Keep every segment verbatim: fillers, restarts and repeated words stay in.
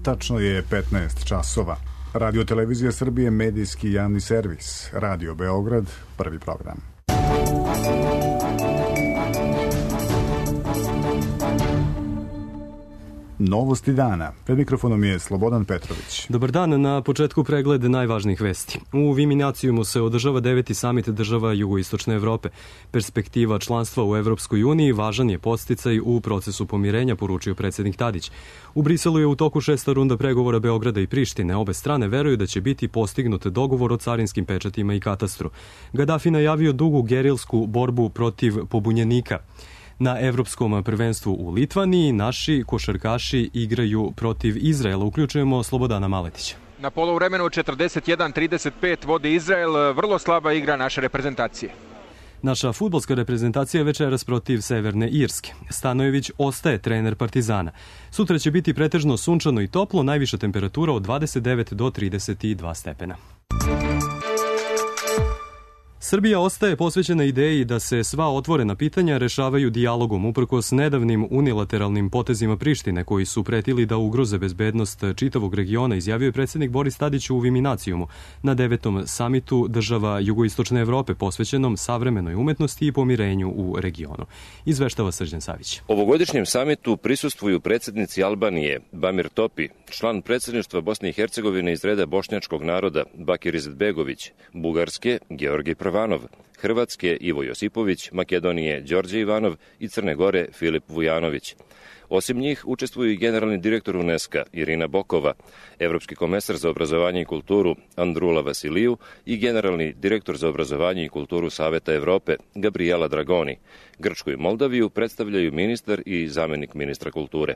Tačno je petnaest časova. Radio Televizija Srbije, medijski javni servis. Radio Beograd, prvi program. Novosti dana. Pred mikrofonom je Slobodan Petrović. Dobar dan, na početku pregled najvažnijih vesti. U Viminacijumu se održava deveti samit država jugoistočne Evrope. Perspektiva članstva u Evropskoj uniji važan je podsticaj u procesu pomirenja, poručio predsjednik Tadić. U Briselu je u toku šesta runda pregovora Beograda i Prištine. Obe strane veruju da će biti postignut dogovor o carinskim pečatima i katastru. Gaddafi najavio dugu gerilsku borbu protiv pobunjenika. Na evropskom prvenstvu u Litvaniji naši košarkaši igraju protiv Izraela. Uključujemo Slobodana Maletića. Na poluvremenu četrdeset jedan trideset pet vodi Izrael, vrlo slaba igra naše reprezentacije. Naša fudbalska reprezentacija je večeras protiv Severne Irske. Stanojević ostaje trener Partizana. Sutra će biti pretežno sunčano i toplo, najviša temperatura od dvadeset devet do trideset dva stepena. Srbija ostaje posvećena ideji da se sva otvorena pitanja rešavaju dijalogom, uprkos nedavnim unilateralnim potezima Prištine koji su pretili da ugroze bezbednost čitavog regiona, izjavio je predsjednik Boris Tadić u Viminacijumu na devetom samitu država jugoistočne Evrope posvećenom savremenoj umetnosti i pomirenju u regionu. Izveštava Srđan Savić. Ovogodišnjem samitu prisustvuju predsjednici Albanije Bamir Topi, član predsjedništva Bosne i Hercegovine iz reda bošnjačkog naroda Bakir Izetbegović, Bugarske Georgij Prvanov, Hrvatske Ivo Josipović, Makedonije Đorđe Ivanov i Crne Gore Filip Vujanović. Osim njih učestvuju i generalni direktor UNESCO Irina Bokova, evropski komesar za obrazovanje i kulturu Andrula Vasiliju i generalni direktor za obrazovanje i kulturu Saveta Evrope Gabriela Dragoni. Grčku i Moldaviju predstavljaju ministar i zamenik ministra kulture.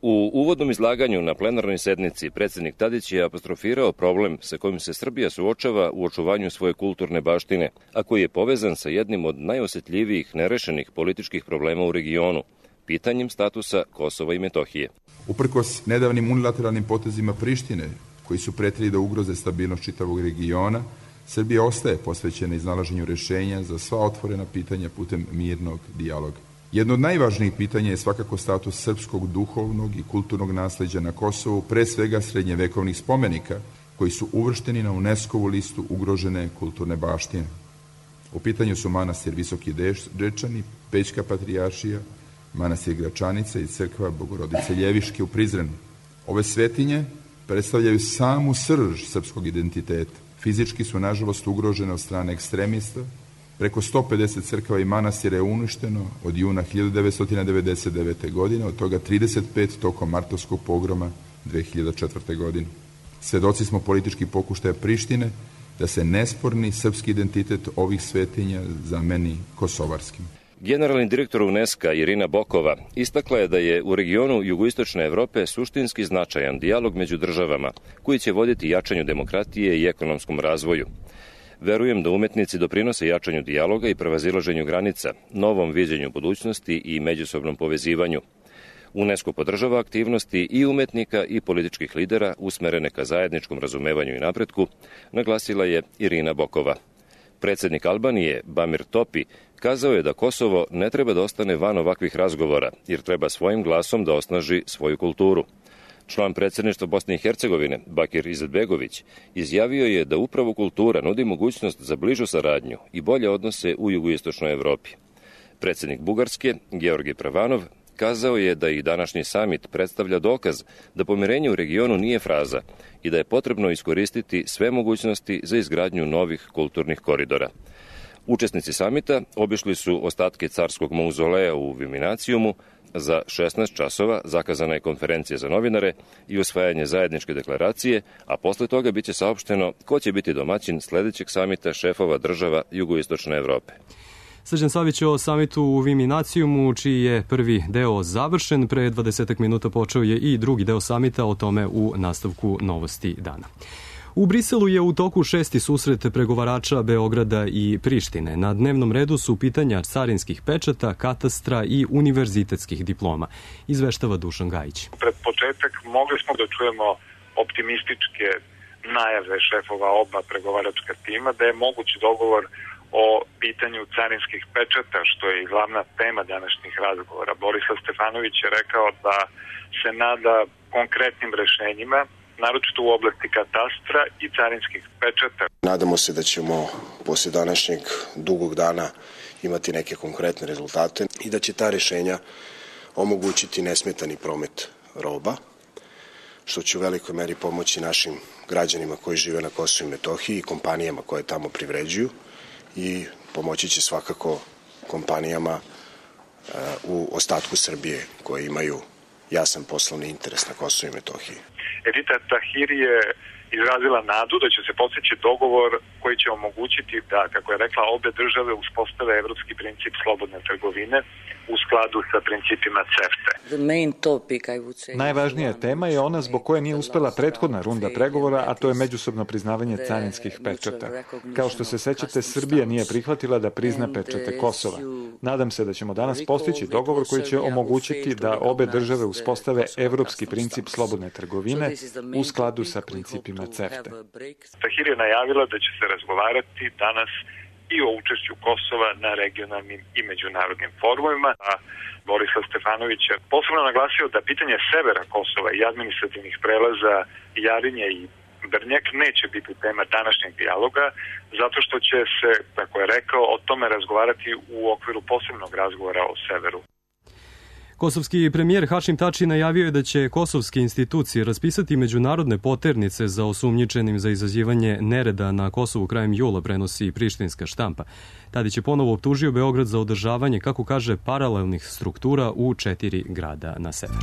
U uvodnom izlaganju na plenarnoj sednici predsjednik Tadić je apostrofirao problem sa kojim se Srbija suočava u očuvanju svoje kulturne baštine, a koji je povezan sa jednim od najosjetljivijih nerešenih političkih problema u regionu, pitanjem statusa Kosova i Metohije. Uprkos nedavnim unilateralnim potezima Prištine, koji su pretili da ugroze stabilnost čitavog regiona, Srbija ostaje posvećena iznalaženju rešenja za sva otvorena pitanja putem mirnog dijaloga. Jedno od najvažnijih pitanja je svakako status srpskog duhovnog i kulturnog nasleđa na Kosovu, pre svega srednjevekovnih spomenika, koji su uvršteni na UNESCO-vu listu ugrožene kulturne baštine. U pitanju su manastir Visoki Dečani, Pećka patrijaršija, manastir Gračanica i crkva Bogorodice Ljeviške u Prizrenu. Ove svetinje predstavljaju samu srž srpskog identiteta. Fizički su, nažalost, ugrožene od strane ekstremista. Preko sto pedeset crkava i manastira je uništeno od juna hiljadu devetsto devedeset devete. godine, od toga trideset pet tokom martovskog pogroma dve hiljade četvrte. godine. Svedoci smo političkih pokušaja Prištine da se nesporni srpski identitet ovih svetinja zameni kosovarskim. Generalni direktor UNESCO Irina Bokova istakla je da je u regionu jugoistočne Evrope suštinski značajan dijalog među državama koji će voditi jačanju demokratije i ekonomskom razvoju. Verujem da umetnici doprinose jačanju dijaloga i prevazilaženju granica, novom viđenju budućnosti i međusobnom povezivanju. UNESCO podržava aktivnosti i umetnika i političkih lidera usmerene ka zajedničkom razumevanju i napretku, naglasila je Irina Bokova. Predsjednik Albanije Bamir Topi kazao je da Kosovo ne treba da ostane van ovakvih razgovora, jer treba svojim glasom da osnaži svoju kulturu. Član predsjedništva Bosne i Hercegovine, Bakir Izetbegović, izjavio je da upravo kultura nudi mogućnost za bližu saradnju i bolje odnose u jugoistočnoj Evropi. Predsjednik Bugarske, Georgij Prvanov, kazao je da i današnji samit predstavlja dokaz da pomirenje u regionu nije fraza i da je potrebno iskoristiti sve mogućnosti za izgradnju novih kulturnih koridora. Učesnici samita obišli su ostatke carskog mauzoleja u Viminacijumu. Za šesnaest časova zakazana je konferencija za novinare i usvajanje zajedničke deklaracije, a posle toga biće saopšteno ko će biti domaćin sledećeg samita šefova država jugoistočne Evrope. Srđan Savić o samitu u Viminacijumu, čiji je prvi deo završen. Pre dvadesetak minuta počeo je i drugi deo samita, o tome u nastavku Novosti dana. U Briselu je u toku šesti susret pregovarača Beograda i Prištine. Na dnevnom redu su pitanja carinskih pečata, katastra i univerzitetskih diploma. Izveštava Dušan Gajić. Pred početak mogli smo da čujemo optimističke najave šefova oba pregovaračka tima da je moguć dogovor o pitanju carinskih pečata, što je i glavna tema današnjih razgovora. Borislav Stefanović je rekao da se nada konkretnim rešenjima, naročito u oblasti katastra i carinskih pečata. Nadamo se da ćemo posle današnjeg dugog dana imati neke konkretne rezultate i da će ta rešenja omogućiti nesmetani promet roba, što će u velikoj meri pomoći našim građanima koji žive na Kosovu i Metohiji i kompanijama koje tamo privređuju i pomoći će svakako kompanijama u ostatku Srbije koje imaju jasan poslovni interes na Kosovu i Metohiji. Edita Tahiri je izrazila nadu da će se postići dogovor koji će omogućiti da, kako je rekla, obe države uspostave evropski princip slobodne trgovine u skladu sa principima CEFTA. Najvažnija tema je ona zbog koje nije uspela prethodna runda pregovora, a to je međusobno priznavanje carinskih pečata. Kao što se sećate, Srbija nije prihvatila da prizna pečate Kosova. Nadam se da ćemo danas postići dogovor koji će omogućiti da obe države uspostave evropski princip slobodne trgovine u skladu sa principima CEFTA. Tahiri je najavila da će se razgovarati danas i o učešću Kosova na regionalnim i međunarodnim forumima, a Borislav Stefanović je posebno naglasio da pitanje severa Kosova i administrativnih prelaza Jarinje i Brnjak neće biti tema današnjeg dijaloga, zato što će se, kako je rekao, o tome razgovarati u okviru posebnog razgovora o severu. Kosovski premijer Hašim Tači najavio je da će kosovske institucije raspisati međunarodne poternice za osumnjičenim za izazivanje nereda na Kosovu krajem jula, prenosi prištinska štampa. Tadić je ponovo optužio Beograd za održavanje, kako kaže, paralelnih struktura u četiri grada na severu.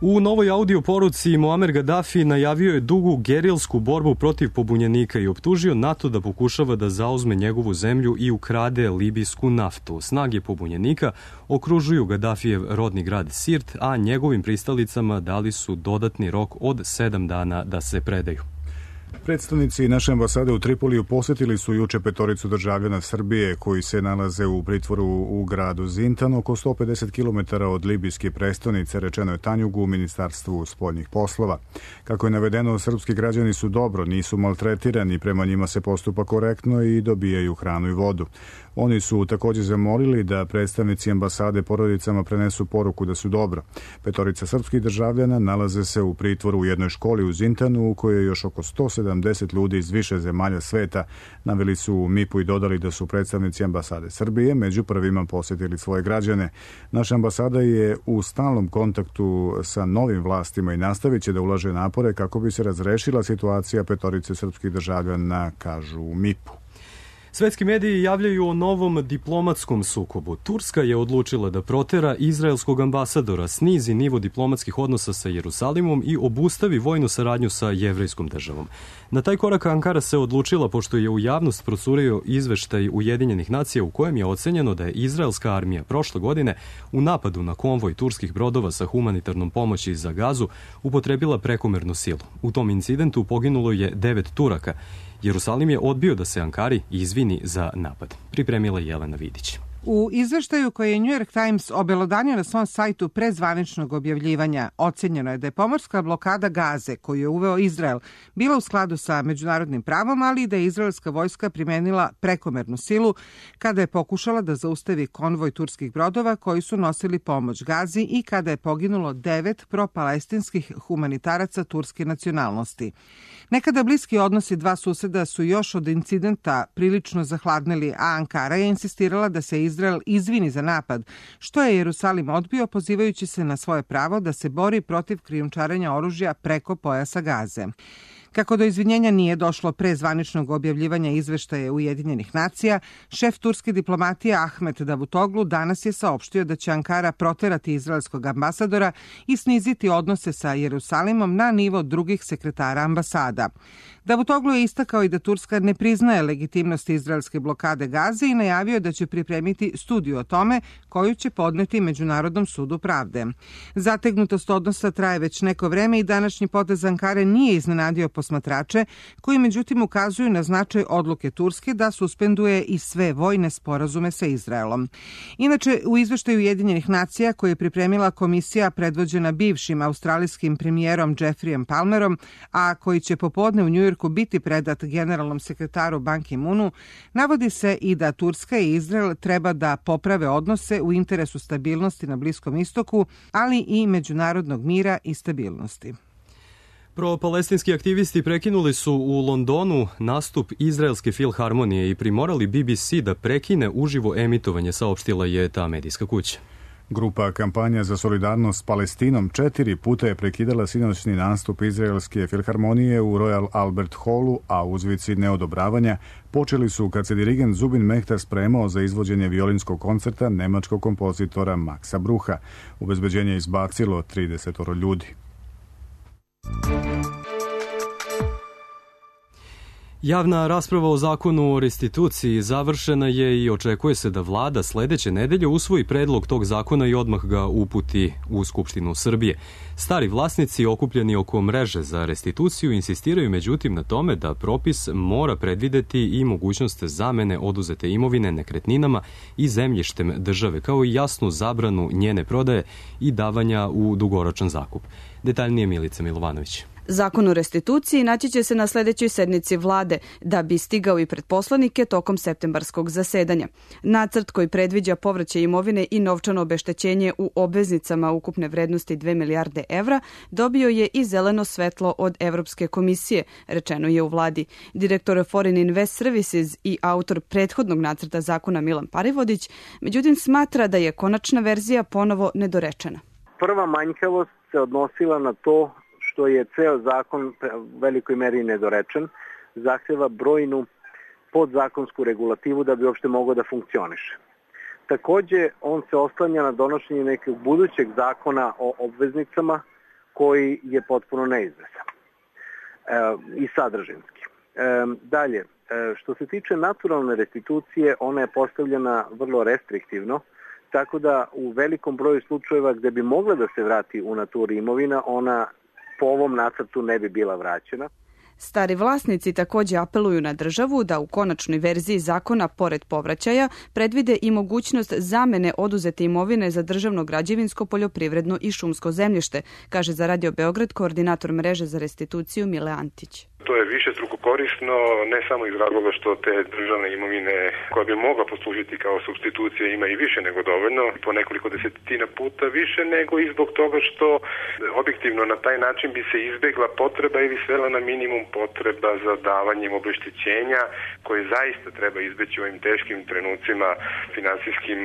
U novoj audio poruci Muamer Gaddafi najavio je dugu gerilsku borbu protiv pobunjenika i optužio NATO da pokušava da zauzme njegovu zemlju i ukrade libijsku naftu. Snage pobunjenika okružuju Gaddafijev rodni grad Sirt, a njegovim pristalicama dali su dodatni rok od sedam dana da se predaju. Predstavnici naše ambasade u Tripoliju posjetili su juče petoricu državljana Srbije koji se nalaze u pritvoru u gradu Zintan, oko sto pedeset kilometara od libijske prestonice, rečeno je Tanjugu u Ministarstvu spoljnih poslova. Kako je navedeno, srpski građani su dobro, nisu maltretirani, prema njima se postupa korektno i dobijaju hranu i vodu. Oni su također zamolili da predstavnici ambasade porodicama prenesu poruku da su dobro. Petorica srpskih državljana nalaze se u pritvoru u jednoj školi u Zintanu u kojoj je još oko sto sedamdeset ljudi iz više zemalja sveta. Naveli su u M I P-u i dodali da su predstavnici ambasade Srbije među prvima posjetili svoje građane. Naša ambasada je u stalnom kontaktu sa novim vlastima i nastavit će da ulaže napore kako bi se razrešila situacija petorice srpskih državljana, kažu u M I P-u. Svetski mediji javljaju o novom diplomatskom sukobu. Turska je odlučila da protera izraelskog ambasadora, snizi nivo diplomatskih odnosa sa Jerusalimom i obustavi vojnu saradnju sa jevrejskom državom. Na taj korak Ankara se odlučila pošto je u javnost procurio izveštaj Ujedinjenih nacija u kojem je ocenjeno da je izraelska armija prošle godine u napadu na konvoj turskih brodova sa humanitarnom pomoći za Gazu upotrebila prekomernu silu. U tom incidentu poginulo je devet Turaka. Jerusalim je odbio da se Ankari izvini za napad. Pripremila Jelena Vidić. U izveštaju koji je New York Times obelodanio na svom sajtu pre zvaničnog objavljivanja, ocenjeno je da je pomorska blokada Gaze koju je uveo Izrael bila u skladu sa međunarodnim pravom, ali i da je izraelska vojska primenila prekomernu silu kada je pokušala da zaustavi konvoj turskih brodova koji su nosili pomoć Gazi i kada je poginulo devet pro-palestinskih humanitaraca turske nacionalnosti. Nekada bliski odnosi dva suseda su još od incidenta prilično zahladnili, a Ankara je insistirala da se Izrael izvini za napad, što je Jerusalim odbio pozivajući se na svoje pravo da se bori protiv krijumčarenja oružja preko pojasa Gaze. Kako do izvinjenja nije došlo pre zvaničnog objavljivanja izveštaja Ujedinjenih nacija, šef turske diplomatije Ahmet Davutoglu danas je saopštio da će Ankara proterati izraelskog ambasadora i sniziti odnose sa Jerusalimom na nivo drugih sekretara ambasada. Davutoglu je istakao i da Turska ne priznaje legitimnost izraelske blokade Gaze i najavio da će pripremiti studiju o tome koju će podneti Međunarodnom sudu pravde. Zategnutost odnosa traje već neko vreme i današnji potez Ankare nije iznenadio posmatrače, koji međutim ukazuju na značaj odluke Turske da suspenduje i sve vojne sporazume sa Izraelom. Inače, u izveštaju Ujedinjenih nacija koje je pripremila komisija predvođena bivšim australijskim premijerom Jeffreyem Palmerom, a koji će popodne u Njujorku biti predat generalnom sekretaru Ban Ki-moonu, navodi se i da Turska i Izrael treba da poprave odnose u interesu stabilnosti na Bliskom istoku, ali i međunarodnog mira i stabilnosti. Pro-palestinski aktivisti prekinuli su u Londonu nastup Izraelske filharmonije i primorali B B C da prekine uživo emitovanje, saopštila je ta medijska kuća. Grupa Kampanja za solidarnost s Palestinom četiri puta je prekidala sinoćni nastup Izraelske filharmonije u Royal Albert Hallu, a uzvici neodobravanja počeli su kad se dirigent Zubin Mehtar spremao za izvođenje violinskog koncerta nemačkog kompozitora Maxa Brucha. Obezbeđenje je izbacilo trideset ljudi. Javna rasprava o zakonu o restituciji završena je i očekuje se da vlada sledeće nedelje usvoji predlog tog zakona i odmah ga uputi u Skupštinu Srbije. Stari vlasnici okupljeni oko mreže za restituciju insistiraju međutim na tome da propis mora predvideti i mogućnost zamene oduzete imovine nekretninama i zemljištem države, kao i jasnu zabranu njene prodaje i davanja u dugoročan zakup. Detaljnije Milica Milovanović. Zakon o restituciji naći će se na sledećoj sednici vlade, da bi stigao i pred poslanike tokom septembarskog zasedanja. Nacrt koji predviđa povraćaj imovine i novčano obeštećenje u obveznicama ukupne vrednosti dve milijarde evra dobio je i zeleno svetlo od Evropske komisije, rečeno je u vladi. Direktor Foreign Invest Services i autor prethodnog nacrta zakona Milan Parivodić, međutim smatra da je konačna verzija ponovo nedorečena. Prva manjkavost se odnosila na to što je ceo zakon u velikoj meri nedorečen, zahteva brojnu podzakonsku regulativu da bi uopšte mogao da funkcioniše. Takođe, on se oslanja na donošenje nekog budućeg zakona o obveznicama koji je potpuno neizvesan e, i sadržinski. E, dalje, e, što se tiče naturalne restitucije, ona je postavljena vrlo restriktivno, tako da u velikom broju slučajeva gde bi mogla da se vrati u naturi imovina, ona po ovom nacrtu ne bi bila vraćena. Stari vlasnici takođe apeluju na državu da u konačnoj verziji zakona, pored povraćaja, predvide i mogućnost zamene oduzete imovine za državno građevinsko, poljoprivredno i šumsko zemljište, kaže za Radio Beograd koordinator mreže za restituciju Mile Antić. To je višestruko korisno, ne samo iz razloga što te državne imovine koja bi mogla poslužiti kao supstitucija ima i više nego dovoljno, po nekoliko desetina puta više, nego i zbog toga što objektivno na taj način bi se izbegla potreba ili svela na minimum potreba za davanjem obeštećenja koje zaista treba izbeći u ovim teškim trenucima finansijskim.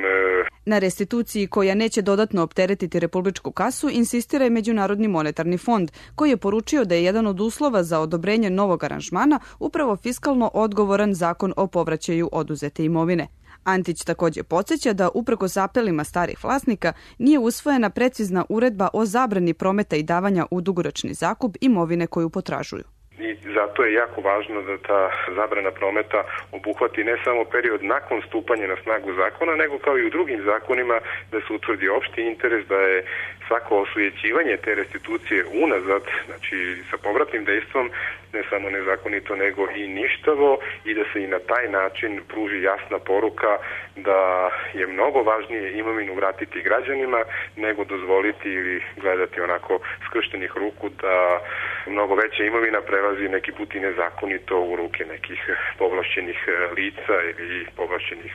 Na restituciji koja neće dodatno opteretiti republičku kasu insistira i Međunarodni monetarni fond, koji je poručio da je jedan od uslova za odobrenje novog aranžmana upravo fiskalno odgovoran zakon o povraćaju oduzete imovine. Antić takođe podsjeća da uprkos apelima starih vlasnika nije usvojena precizna uredba o zabrani prometa i davanja u dugoročni zakup imovine koju potražuju. I zato je jako važno da ta zabrana prometa obuhvati ne samo period nakon stupanja na snagu zakona, nego kao i u drugim zakonima da se utvrdi opšti interes, da je svako osujećivanje te restitucije unazad, znači sa povratnim dejstvom, ne samo nezakonito nego i ništavo, i da se i na taj način pruži jasna poruka da je mnogo važnije imovinu vratiti građanima nego dozvoliti ili gledati onako skrštenih ruku da mnogo veća imovina prelazi neki put i nezakonito u ruke nekih povlašćenih lica ili povlašćenih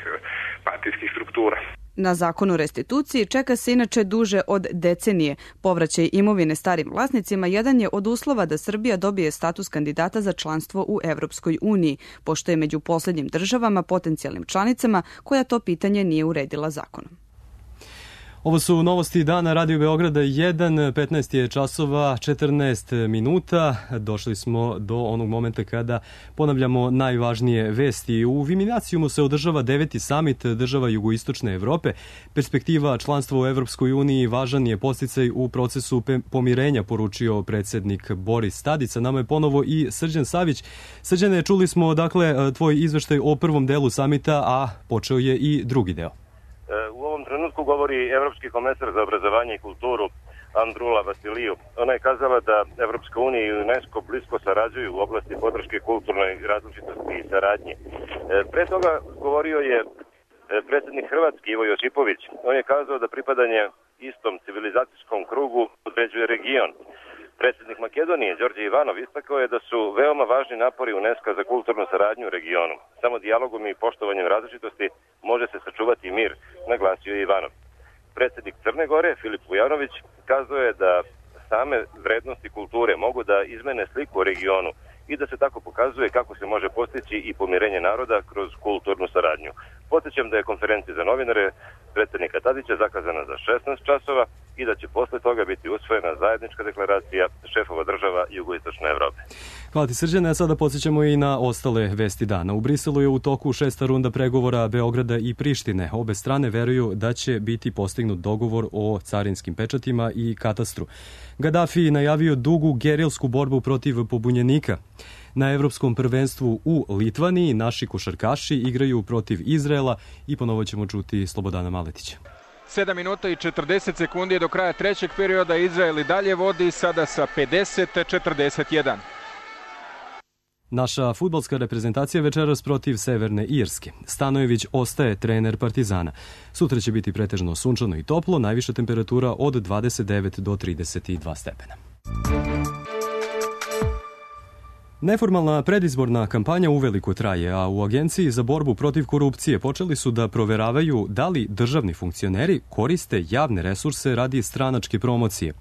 partijskih struktura. Na zakon o restituciji čeka se inače duže od decenije. Povraćaj imovine starim vlasnicima jedan je od uslova da Srbija dobije status kandidata za članstvo u Evropskoj uniji, pošto je među poslednjim državama potencijalnim članicama koja to pitanje nije uredila zakonom. Ovo su novosti dana Radio Beograda jedan, petnaest je časova, četrnaest minuta. Došli smo do onog momenta kada ponavljamo najvažnije vesti. U Viminacijumu se održava deveti samit država jugoistočne Evrope. Perspektiva članstva u Evropskoj uniji važan je podsticaj u procesu pomirenja, poručio predsednik Boris Tadić. Nama je ponovo i Srđan Savić. Srđane, čuli smo dakle tvoj izveštaj o prvom delu samita, a počeo je i drugi deo. U ovom trenutku govori Evropski komesar za obrazovanje i kulturu Andrula Vasiliju. Ona je kazala da Evropska unija i UNESCO blisko sarađuju u oblasti podrške kulturnoj različitosti i saradnji. Pre toga govorio je predsjednik Hrvatske Ivo Josipović. On je kazao da pripadanje istom civilizacijskom krugu određuje region. Predsjednik Makedonije Đorđe Ivanov istakao je da su veoma važni napori UNESCO za kulturnu saradnju u regionu. Samo dijalogom i poštovanjem različitosti može se sačuvati mir, naglasio je Ivanov. Predsjednik Crne Gore Filip Vujanović kazao je da same vrednosti kulture mogu da izmene sliku u regionu i da se tako pokazuje kako se može postići i pomirenje naroda kroz kulturnu saradnju. Podsjećam da je konferencija za novinare predsjednika Tadića zakazana za šesnaest časova i da će posle toga biti usvojena zajednička deklaracija šefova država Jugoistočne Evrope. Hvala ti, Srđane, a sada podsjećamo i na ostale vesti dana. U Briselu je u toku šesta runda pregovora Beograda i Prištine. Obe strane veruju da će biti postignut dogovor o carinskim pečatima i katastru. Gaddafi najavio dugu gerilsku borbu protiv pobunjenika. Na evropskom prvenstvu u Litvaniji naši košarkaši igraju protiv Izraela i ponovo ćemo čuti Slobodana Maletića. sedam minuta i četrdeset sekundi do kraja trećeg perioda. Izrael i dalje vodi sada sa pedeset četrdeset jedan. Naša fudbalska reprezentacija večeras protiv Severne Irske. Stanojević ostaje trener Partizana. Sutra će biti pretežno sunčano i toplo, najviša temperatura od dvadeset devet do trideset dva stepena. Neformalna predizborna kampanja uveliko traje, a u Agenciji za borbu protiv korupcije počeli su da proveravaju da li državni funkcioneri koriste javne resurse radi stranačke promocije.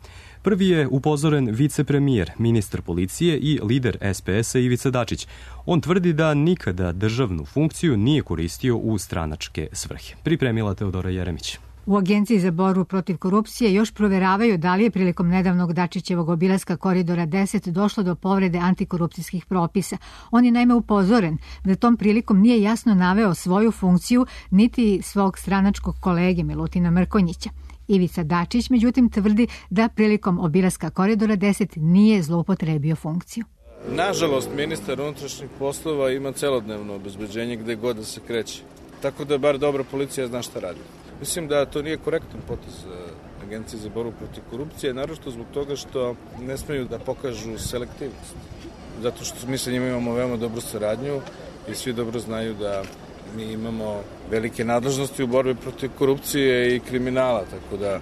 Prvi je upozoren vicepremijer, ministar policije i lider S P S-a Ivica Dačić. On tvrdi da nikada državnu funkciju nije koristio u stranačke svrhe. Pripremila Teodora Jeremić. U Agenciji za borbu protiv korupcije još proveravaju da li je prilikom nedavnog Dačićevog obilaska Koridora deset došlo do povrede antikorupcijskih propisa. On je naime upozoren da tom prilikom nije jasno naveo svoju funkciju niti svog stranačkog kolege Milutina Mrkonjića. Ivica Dačić, međutim, tvrdi da prilikom obilaska Koridora deset nije zloupotrebio funkciju. Nažalost, ministar unutrašnjih poslova ima celodnevno obezbeđenje gde god da se kreće. Tako da bar dobra policija zna šta radi. Mislim da to nije korektan potez Agencije za borbu protiv korupcije, naročito zbog toga što ne smeju da pokažu selektivnost. Zato što mi sa njima imamo veoma dobru saradnju i svi dobro znaju da mi imamo velike nadležnosti u borbi protiv korupcije i kriminala, tako da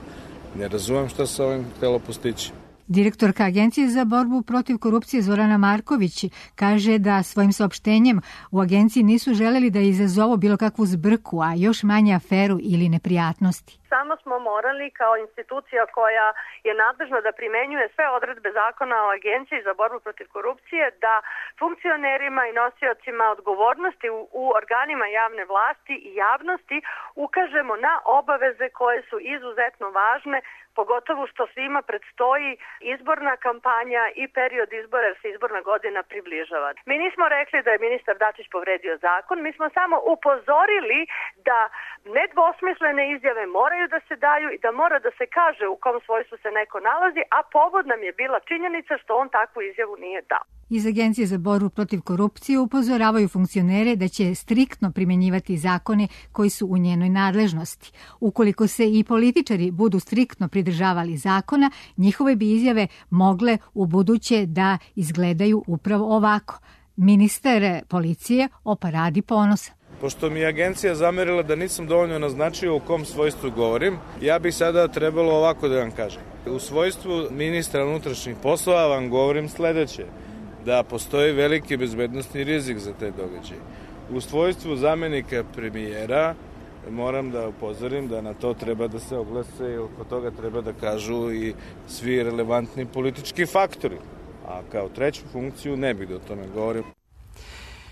ne razumem šta se ovim htelo postići. Direktorka Agencije za borbu protiv korupcije Zorana Marković kaže da svojim saopštenjem u agenciji nisu želeli da izazovu bilo kakvu zbrku, a još manje aferu ili neprijatnosti. Samo smo morali kao institucija koja je nadležna da primenjuje sve odredbe zakona o Agenciji za borbu protiv korupcije, da funkcionerima i nosiocima odgovornosti u, u organima javne vlasti i javnosti ukažemo na obaveze koje su izuzetno važne, pogotovo što svima predstoji izborna kampanja i period izbora, jer se izborna godina približava. Mi nismo rekli da je ministar Dačić povredio zakon, mi smo samo upozorili da nedvosmislene izjave moraju da se daju i da mora da se kaže u kom svojstvu se neko nalazi, a povod nam je bila činjenica što on takvu izjavu nije dao. Iz Agencije za borbu protiv korupcije upozoravaju funkcionere da će striktno primjenjivati zakone koji su u njenoj nadležnosti. Ukoliko se i političari budu striktno pridržavali zakona, njihove bi izjave mogle u buduće da izgledaju upravo ovako. Ministar policije o paradi ponosa. Pošto mi je agencija zamerila da nisam dovoljno naznačio u kom svojstvu govorim, ja bih sada trebalo ovako da vam kažem. U svojstvu ministra unutrašnjih poslova vam govorim sledeće, da postoji veliki bezbednosni rizik za te događaje. U svojstvu zamenika premijera moram da upozorim da na to treba da se oglase i oko toga treba da kažu i svi relevantni politički faktori. A kao treću funkciju ne bih da o tome govorim.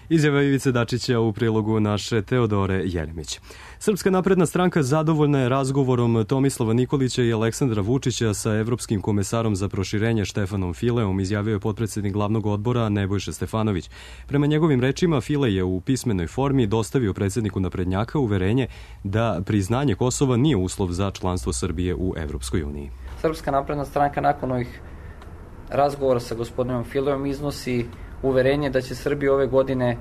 Izjava Ivice Dačića u prilogu naše Teodore Jeremić. Srpska napredna stranka zadovoljna je razgovorom Tomislava Nikolića i Aleksandra Vučića sa evropskim komesarom za proširenje Štefanom Fileom, izjavio je potpredsednik glavnog odbora Nebojša Stefanović. Prema njegovim rečima, File je u pismenoj formi dostavio predsedniku naprednjaka uverenje da priznanje Kosova nije uslov za članstvo Srbije u Evropskoj uniji. Srpska napredna stranka nakon ovih razgovora sa gospodinom Fileom iznosi uverenje da će Srbija ove godine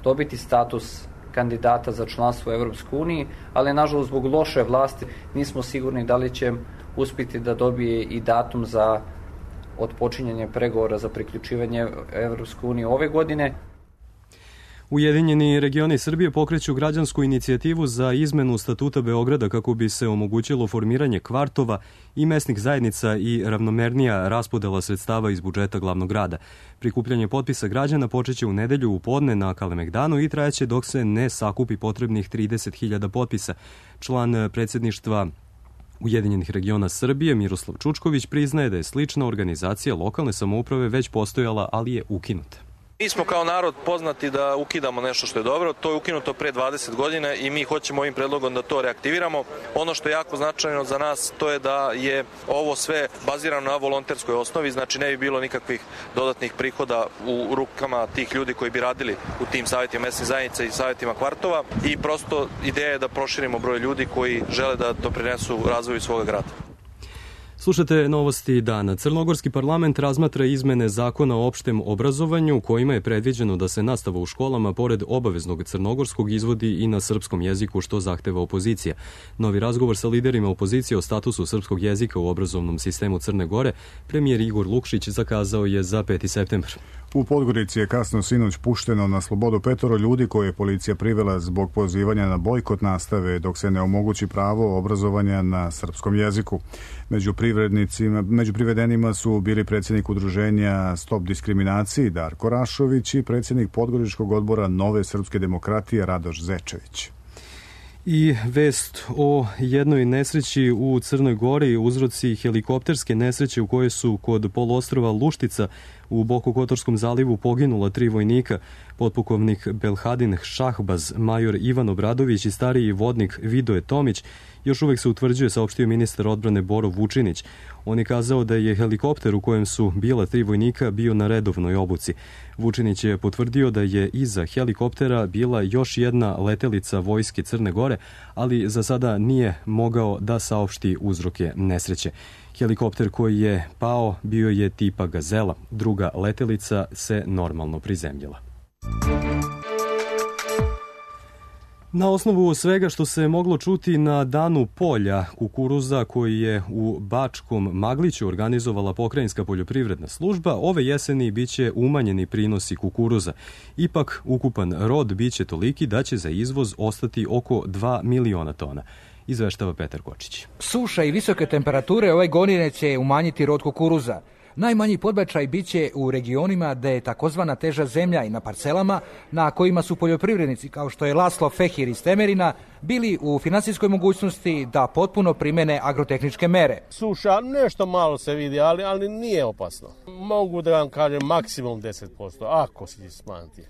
dobiti status kandidata za članstvo u Evropskoj uniji, ali nažalost zbog loše vlasti nismo sigurni da li će uspjeti da dobije i datum za otpočinjanje pregovora za priključivanje Evropskoj uniji ove godine. Ujedinjeni regioni Srbije pokreću građansku inicijativu za izmenu statuta Beograda kako bi se omogućilo formiranje kvartova i mesnih zajednica i ravnomernija raspodela sredstava iz budžeta glavnog grada. Prikupljanje potpisa građana počeće u nedelju u podne na Kalemegdanu i trajaće dok se ne sakupi potrebnih trideset hiljada potpisa. Član predsjedništva Ujedinjenih regiona Srbije Miroslav Čučković priznaje da je slična organizacija lokalne samouprave već postojala, ali je ukinuta. Mi smo kao narod poznati da ukidamo nešto što je dobro, to je ukinuto pre dvadeset godina i mi hoćemo ovim predlogom da to reaktiviramo. Ono što je jako značajno za nas to je da je ovo sve bazirano na volonterskoj osnovi, znači ne bi bilo nikakvih dodatnih prihoda u rukama tih ljudi koji bi radili u tim savjetima mesnih zajednica i savjetima kvartova i prosto ideja je da proširimo broj ljudi koji žele da doprinesu razvoju svoga grada. Slušate novosti dana. Crnogorski parlament razmatra izmene zakona o opštem obrazovanju kojima je predviđeno da se nastava u školama pored obaveznog crnogorskog izvodi i na srpskom jeziku što zahteva opozicija. Novi razgovor sa liderima opozicije o statusu srpskog jezika u obrazovnom sistemu Crne Gore premijer Igor Lukšić zakazao je za peti septembar. U Podgorici je kasno sinoć pušteno na slobodu petoro ljudi koje je policija privela zbog pozivanja na bojkot nastave dok se ne omogući pravo obrazovanja na srpskom jeziku. Među privrednicima, među privedenima su bili predsjednik udruženja Stop diskriminaciji Darko Rašović i predsjednik Podgoričkog odbora Nove srpske demokratije Radoš Zečević. I vest o jednoj nesreći u Crnoj Gori, uzroci helikopterske nesreće u kojoj su kod poluostrva Luštica u Bokokotorskom zalivu poginula tri vojnika, potpukovnik Belhadin Šahbaz, major Ivan Obradović i stariji vodnik Vidoje Tomić, još uvek se utvrđuje, saopštio ministar odbrane Boro Vučinić. On je kazao da je helikopter u kojem su bila tri vojnika bio na redovnoj obuci. Vučinić je potvrdio da je iza helikoptera bila još jedna letelica vojske Crne Gore, ali za sada nije mogao da saopšti uzroke nesreće. Helikopter koji je pao bio je tipa Gazela. Druga letelica se normalno prizemljila. Na osnovu svega što se moglo čuti na danu polja kukuruza koji je u Bačkom Magliću organizovala pokrajinska poljoprivredna služba, ove jeseni biće umanjeni prinosi kukuruza. Ipak, ukupan rod biće toliki da će za izvoz ostati oko dva miliona tona. Izveštava Petar Kočić. Suša i visoke temperature ove godine će umanjiti rod kukuruza. Najmanji podbačaj biće u regionima gde je takozvana teža zemlja i na parcelama na kojima su poljoprivrednici kao što je Laslo Fehir iz Temerina bili u finansijskoj mogućnosti da potpuno primene agrotehničke mere. Suša nešto malo se vidi, ali, ali nije opasno. Mogu da vam kažem maksimum deset posto, ako se smanjiti.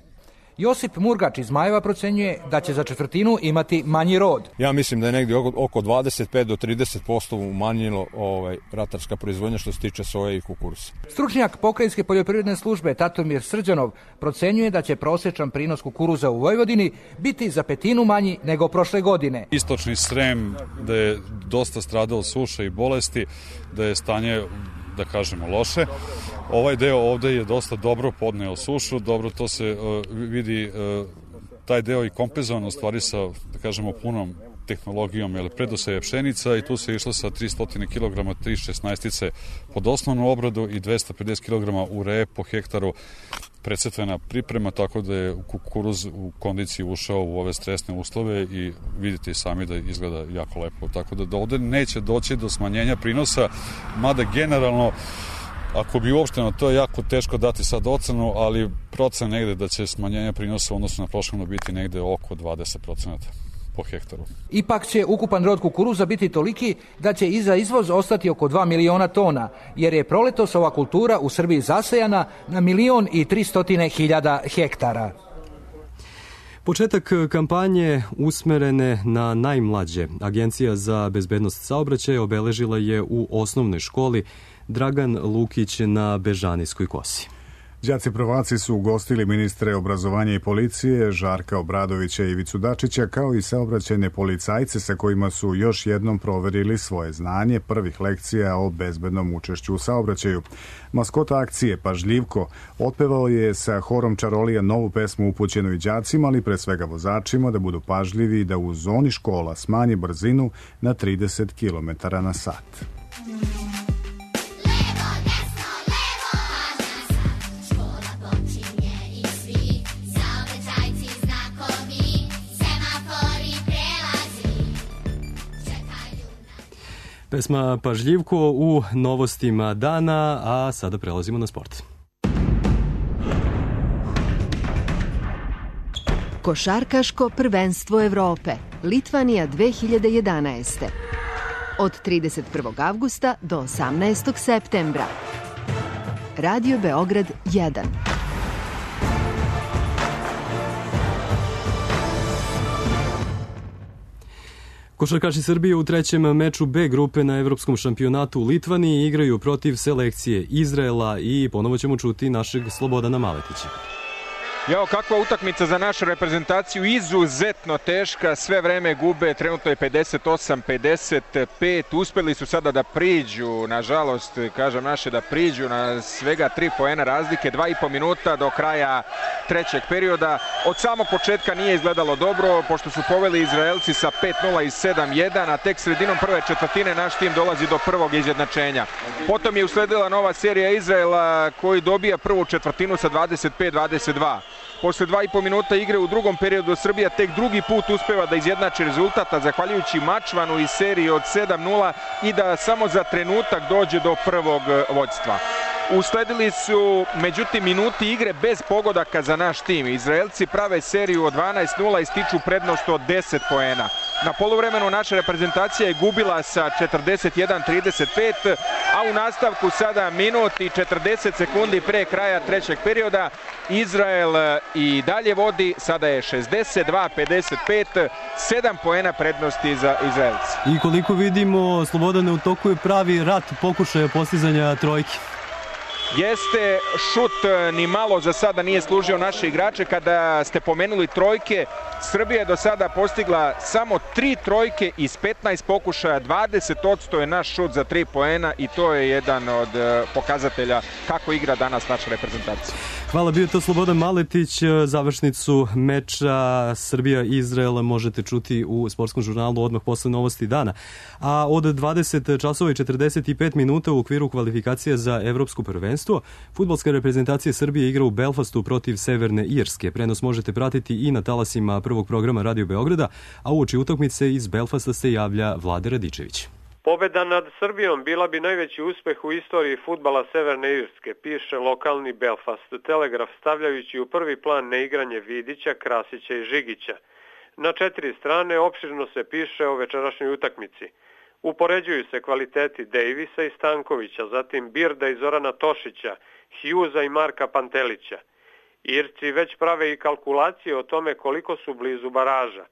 Josip Murgač iz Majeva procenjuje da će za četvrtinu imati manji rod. Ja mislim da je negdje oko dvadeset pet do trideset posto umanjilo ovaj, ratarska proizvodnja što se tiče soje i kukuruza. Stručnjak pokrajinske poljoprivredne službe Tatomir Srđanov procenjuje da će prosječan prinos kukuruza u Vojvodini biti za petinu manji nego prošle godine. Istočni Srem da je dosta stradao suša i bolesti, da je stanje, da kažemo, loše. Ovaj deo ovde je dosta dobro podneo sušu, dobro to se uh, vidi, uh, taj deo i kompenzovan u stvari sa, da kažemo, punom tehnologijom, jer predoseje pšenica i tu se išlo sa tristo kilograma tri šesnaestice pod osnovnu obradu i dvesta pedeset kilograma ureje po hektaru predsetvena priprema, tako da je kukuruz u kondiciji ušao u ove stresne uslove i vidite i sami da izgleda jako lepo. Tako da, da ovde neće doći do smanjenja prinosa, mada generalno ako bi uopšteno, to je jako teško dati sad ocenu, ali procen negde da će smanjenje prinosa u odnosu na prošlo biti negde oko dvadeset procenata po hektaru. Ipak će ukupan rod kukuruza biti toliki da će i za izvoz ostati oko dva miliona tona, jer je proletos ova kultura u Srbiji zasejana na milion i tristotine hiljada hektara. Početak kampanje usmerene na najmlađe. Agencija za bezbednost saobraćaja obeležila je u osnovnoj školi Dragan Lukić na Bežanijskoj kosi. Đaci prvaci su ugostili ministre obrazovanja i policije Žarka Obradovića i Ivicu Dačića, kao i saobraćajne policajce sa kojima su još jednom proverili svoje znanje prvih lekcija o bezbednom učešću u saobraćaju. Maskota akcije, Pažljivko, otpevao je sa horom čarolija novu pesmu upućenu i đacima, ali pre svega vozačima, da budu pažljivi i da u zoni škola smanje brzinu na trideset kilometara na sat. Pesma Pažljivko u novostima dana, a sada prelazimo na sport. Košarkaško prvenstvo Evrope, Litvanija dve hiljade jedanaeste. Od trideset prvog avgusta do osamnaestog septembra. Radio Beograd jedan. Košarkaši Srbije u trećem meču B grupe na Evropskom šampionatu u Litvaniji igraju protiv selekcije Izraela i ponovo ćemo čuti našeg Slobodana Maletića. Jao, kakva utakmica za našu reprezentaciju, izuzetno teška, sve vreme gube, trenutno je pedeset osam pedeset pet, uspeli su sada da priđu, nažalost, kažem naše, da priđu na svega tri poena razlike, dva i po minuta do kraja trećeg perioda. Od samog početka nije izgledalo dobro, pošto su poveli Izraelci sa pet nula i sedam jedan, a tek sredinom prve četvrtine naš tim dolazi do prvog izjednačenja. Potom je usledila nova serija Izraela koji dobija prvu četvrtinu sa dvadeset pet dvadeset dva. Posle dva i po minuta igre u drugom periodu Srbija tek drugi put uspeva da izjednači rezultata zahvaljujući Mačvanu i seriji od sedam nula i da samo za trenutak dođe do prvog vođstva. Usledili su, međutim, minuti igre bez pogodaka za naš tim. Izraelci prave seriju od dvanaest nula i stiču prednost od deset poena. Na poluvremenu naša reprezentacija je gubila sa četrdeset jedan trideset pet, a u nastavku sada minut i četrdeset sekundi pre kraja trećeg perioda Izrael i dalje vodi, sada je šezdeset dva pedeset pet, sedam poena prednosti za Izraelci. I koliko vidimo, Slobodane, u toku je pravi rat pokušaja postizanja trojke. Jeste, šut ni malo za sada nije služio naše igrače. Kada ste pomenuli trojke, Srbija je do sada postigla samo tri trojke iz petnaest pokušaja, dvadeset posto je naš šut za tri poena i to je jedan od pokazatelja kako igra danas naša reprezentacija. Hvala, bio to Slobodan Maletić. Završnicu meča Srbija-Izrael možete čuti u sportskom žurnalu odmah posle novosti dana. A od dvadeset časova i četrdeset pet minuta u okviru kvalifikacije za evropsko prvenstvo, fudbalska reprezentacija Srbije igra u Belfastu protiv Severne Irske. Prenos možete pratiti i na talasima prvog programa Radio Beograda, a uoči utakmice iz Belfasta se javlja Vlade Radičević. Pobeda nad Srbijom bila bi najveći uspeh u istoriji fudbala Severne Irske, piše lokalni Belfast Telegraf, stavljajući u prvi plan neigranje Vidića, Krasića i Žigića. Na četiri strane opširno se piše o večerašnjoj utakmici. Upoređuju se kvaliteti Davisa i Stankovića, zatim Birda i Zorana Tošića, Hughesa i Marka Pantelića. Irci već prave i kalkulacije o tome koliko su blizu baraža.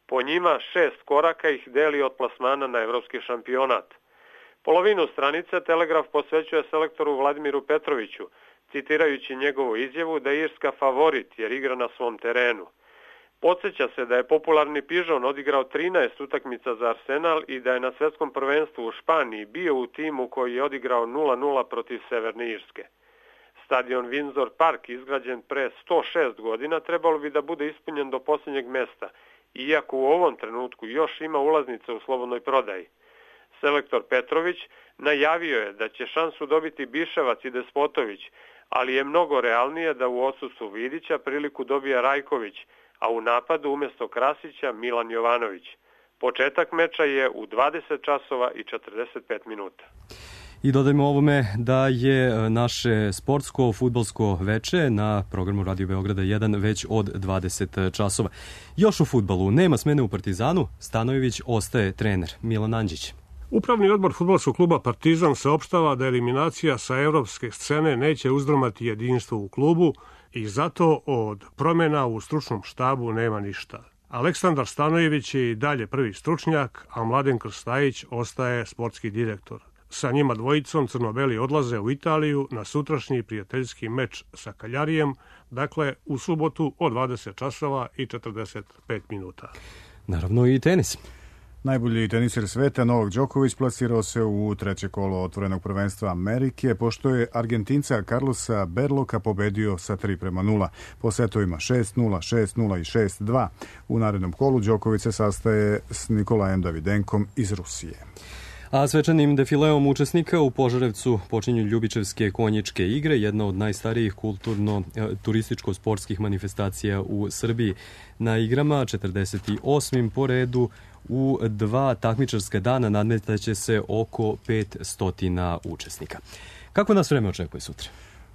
Po njima šest koraka ih deli od plasmana na evropski šampionat. Polovinu stranice Telegraf posvećuje selektoru Vladimiru Petroviću, citirajući njegovu izjavu da je Irska favorit jer igra na svom terenu. Podsjeća se da je popularni Pižon odigrao trinaest utakmica za Arsenal i da je na svetskom prvenstvu u Španiji bio u timu koji je odigrao nula nula protiv Severne Irske. Stadion Windsor Park, izgrađen pre sto šest godina, trebalo bi da bude ispunjen do posljednjeg mesta, iako u ovom trenutku još ima ulaznica u slobodnoj prodaji. Selektor Petrović najavio je da će šansu dobiti Biševac i Despotović, ali je mnogo realnije da u odsustvu Vidića priliku dobija Rajković, a u napadu umjesto Krasića Milan Jovanović. Početak meča je u dvadeset časova i četrdeset pet minuta. I dodajmo ovome da je naše sportsko fudbalsko veče na programu Radio Beograda jedan već od dvadeset časova. Još u fudbalu nema smene u Partizanu, Stanojević ostaje trener. Milan Anđić. Upravni odbor fudbalskog kluba Partizan saopštava da eliminacija sa evropske scene neće uzdrmati jedinstvo u klubu i zato od promjena u stručnom štabu nema ništa. Aleksandar Stanojević je i dalje prvi stručnjak, a Mladen Krstajić ostaje sportski direktor. Sa njima dvojicom crno-beli odlaze u Italiju na sutrašnji prijateljski meč sa Kaljarijem, dakle u subotu od dvadeset časova i četrdeset pet minuta. Naravno i tenis. Najbolji teniser sveta Novak Đoković plasirao se u treće kolo otvorenog prvenstva Amerike, pošto je Argentinca Carlosa Berloka pobedio sa tri prema nula. Po setovima šest nula, šest nula i šest dva. U narednom kolu Đoković se sastaje s Nikolajem Davidenkom iz Rusije. A svečanim defileom učesnika u Požarevcu počinju Ljubičevske konjičke igre, jedna od najstarijih kulturno-turističko-sportskih manifestacija u Srbiji. Na igrama četrdeset osmim po redu u dva takmičarska dana nadmetaće se oko petsto učesnika. Kako nas vreme očekuje sutra?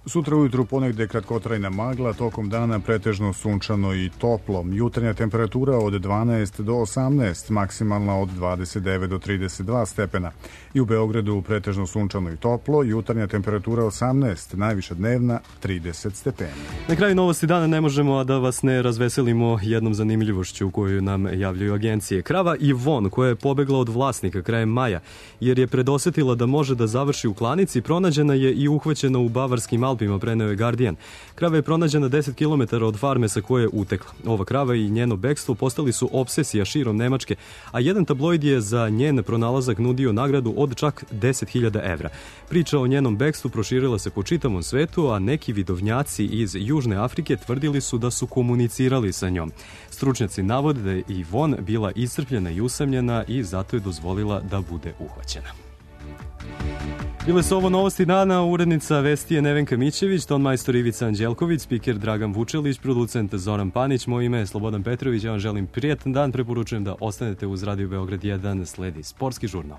Sutra ujutru ponegde kratkotrajna magla, tokom dana pretežno sunčano i toplo. Jutarnja temperatura od dvanaest do osamnaest, maksimalna od dvadeset devet do trideset dva stepena. I u Beogradu pretežno sunčano i toplo, jutarnja temperatura osamnaest, najviša dnevna trideset stepeni. Na kraju novosti dana ne možemo a da vas ne razveselimo jednom zanimljivošću koju nam javljaju agencije. Krava Ivon, koja je pobegla od vlasnika krajem maja, jer je predosetila da može da završi u klanici, pronađena je i uhvaćena u bavarskim Alpima, preneo je Guardian. Krava je pronađena deset kilometara od farme sa koje je utekla. Ova krava i njeno bekstvo postali su obsesija širom Nemačke, a jedan tabloid je za njen pronalazak nudio nagradu od čak deset hiljada evra. Priča o njenom bekstvu proširila se po čitavom svetu, a neki vidovnjaci iz Južne Afrike tvrdili su da su komunicirali sa njom. Stručnjaci navode da je Ivon bila iscrpljena i usamljena i zato je dozvolila da bude uhvaćena. Bile su ovo novosti dana, urednica vesti je Nevenka Mićević, ton majstor Ivica Anđelković, spiker Dragan Vučelić, producent Zoran Panić, moje ime je Slobodan Petrović, ja vam želim prijatan dan, preporučujem da ostanete uz Radio Beograd jedan, sledi sportski žurnal.